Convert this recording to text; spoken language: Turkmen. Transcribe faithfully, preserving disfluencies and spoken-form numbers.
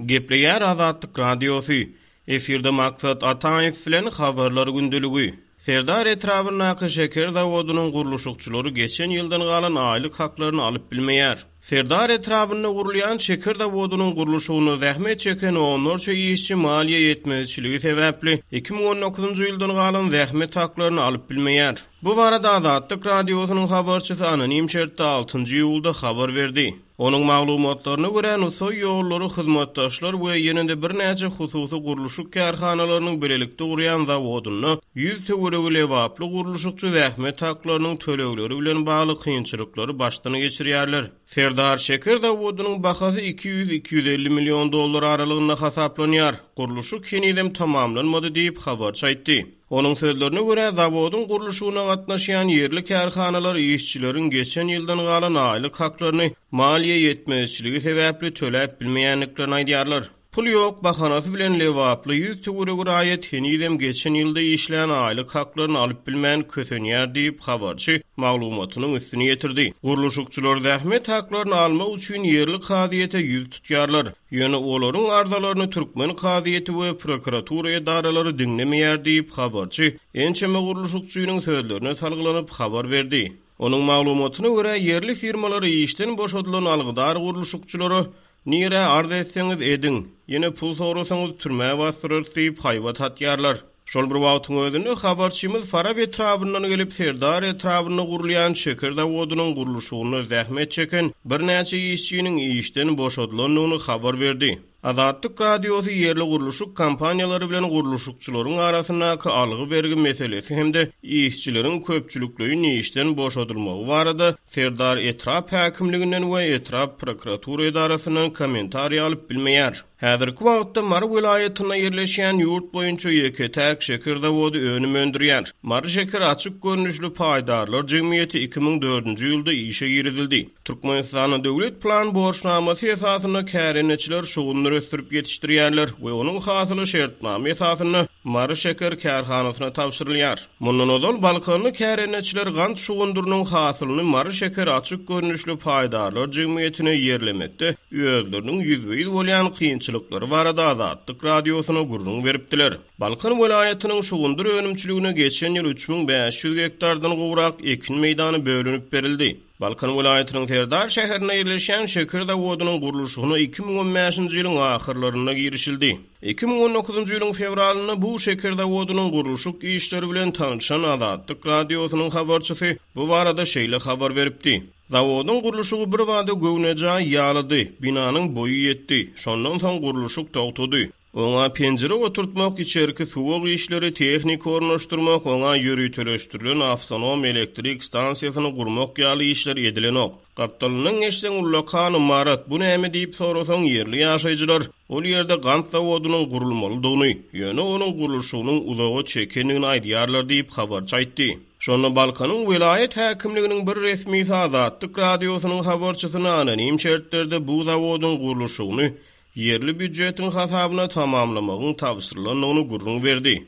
Gepleýär Azatlyk Radiosy. Efirde Maksat Ataýew bilen Habarlar gündeligi. Serdar etrabyndaky şeker zawodynyň gurluşykçylary geçen ýyldan galan aýlyk haklaryny alyp bilmeýär. Serdar etrabynda gurulýan şeker zawodynyň gurluşygynda zähmet çeken onlarça işçi maliýe ýetmezçiligi sebäpli iki müň on dokuzynjy ýyldan galan zähmet haklaryny alyp bilmeýär. Bu barada Azatlyk Radiosynyň habarçysy anonim şertde altynjy iýulda habar berdi. Onuň maglumatlaryna görä, Nusaý ýollary hyzmatdaşlar we ýene-de birnäçe hususy gurluşyk kärhanalarynyň bilelikde gurýan zawodynda ýüz töweregi lebaply gurluşykçy zähmet haklarynyň tölegleri bilen bagly kynçylyklary başdan geçirýärler. Serdar şeker zawodynyň bahasy iki ýüz iki ýüz elli million dollar aralygynda hasaplanýar. Gurluşyk henizem tamamlanmady diýip habarçy aýtdy. Onuň sözlerine görä, zawodyň gurluşygyna gatnaşýan ýerli kärhanalar işçileriň geçen ýyldan galan aýlyk haklaryny maliýe ýetmezçiligi sebäpli töläp bilmeýändiklerini aýdýarlar. Pul ýok bahanasy bilen lebaply ýüz töweregi raýat henizem geçen ýylda işlän aýlyk haklaryny alyp bilmän kösenýär diýip habarçy maglumatynyň üstüni ýetirdi. Gurluşykçylar zähmet haklaryny almak üçin ýerli kazyýete ýüz tutýarlar. Ýöne olaryň arzalaryny türkmen kazyýeti we prokuratura edaralary diňlemeýär diýip habarçy ençeme gurluşykçynyň sözlerine salgylanyp habar berdi. Onuň maglumatyna görä, ýerli firmalar işden boşadylan algydar gurluşykçylara nirä arz etseňiz ediň, ýene pul sorasaňyz türmä bastyrarys diýip haýbat atýarlar. Şol bir wagtyň özünde habarçymyz Farap etrabyndan gelip Serdar etrabynda gurulýan şeker zawodynyň gurluşygynda zähmet çeken birnäçe işçiniň işden boşadylandygyny habar berdi. Azatlyk Radiosy ýerli gurluşyk kompaniýalary bilen gurluşykçylaryň arasyndaky algy bergi meselesi hem-de işçileriň köpçülikleýin işden boşadylmagy barada Serdar etrap häkimliginden we etrap prokuratura edarasyndan kommentariý alyp bilmeýär. Häzirki wagtda Mary welaýatynda ýerleşýän ýurt boýunça ýeke-täk şeker zawody önüm öndürýär. Mary şeker açyk görnüşli paýdarlar jemgyýeti iki müň dördünji ýylda işe girizildi. Türkmenistanyň döwlet plan borçnamasy esasynda kärendeçiler şugundyr ösdürip ýetişdirýärler we onuň hasyly şertnama esasynda Mary şeker kärhanasyna tabşyrylýar. Mundan ozal Balkanly kärendeçiler gant şugundyrynyň hasylyny Mary şeker açyk görnüşli paýdarlar jemgyýetine ýerlemekde özleriniň ýüzbe-ýüz bolýan kynçylyklary barada Azatlyk Radiosyna gürrüň beripdiler. Balkan welaýatynyň şugundyr önümçiligine geçen ýyl üç müň bäş ýüz gektardan gowrak ekin meýdany bölünip berildi. Balkan welaýatynyň Serdar şäherinde ýerleşýän şeker zawodynyň gurluşygyna iki müň on bäşinji ýylyň ahyrlarynda girişildi. Iki müň on dokuzynjy ýylyň fewralynda bu şeker zawodynyň gurluşyk işleri bilen tanşan Azatlyk Radiosynyň habarçysy bu barada şeýle habar beripdi. Zawodyň gurluşygy bir bada göwnejaý ýalydy, binanyň boýy ýetdi. Şondan soň gurluşyk togtady. Oňa penjire oturtmak, içerki suwuk işleri, tehnika ornaşdyrmak, oňa ýöriteleşdirilen awtonom elektrik stansiýasyny gurmak ýaly işler edilenok. Gapdalyndan geçseň ullakan imarat, bu näme diýip sorasaň ýerli ýaşaýjylar ol ýerde gant zawodynyň gurulmalydygyny, ýöne onuň gurluşygynyň uzaga çekendigini aýdýarlar diýip habarçy aýtdy. Şonda Balkanyň welaýat häkimliginiň bir resmisi Azatlyk Radiosynyň habarçysyna anonim şertlerde bu zawodyň gurluşygyny ýerli býujetiň hasabyna tamamlamagyň tabşyrylandygyny gürrüň berdi.